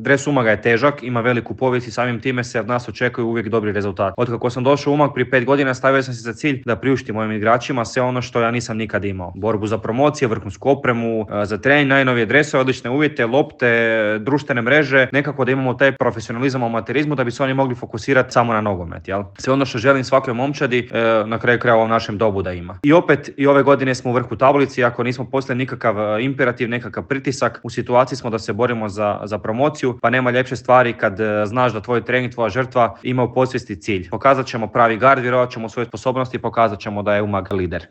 Dres Umaga je težak, ima veliku povijest i samim time se od nas očekuju uvijek dobri rezultati. Otkako sam došao u Umag prije 5 godina, stavio sam si za cilj da priuštim mojim igračima sve ono što ja nisam nikad imao. Borbu za promocije, vrhunsku opremu, za trening, najnovije dresove, odlične uvjete, lopte, društvene mreže, nekako da imamo taj profesionalizam u amaterizmu da bi se oni mogli fokusirati samo na nogomet, jel? Sve ono što želim svakoj momčadi, na kraju krajeva u našem dobu da ima. I opet, i ove godine smo u vrhu tablici, ako nismo poslali nikakav imperativ, nekakav pritisak, u situaciji smo da se borimo za promociju, pa nema ljepše stvari kad znaš da tvoj trening, tvoja žrtva ima u podsvijesti cilj. Pokazat ćemo pravi gard, vjerovat ćemo u svoje sposobnosti i pokazat ćemo da je Umag lider.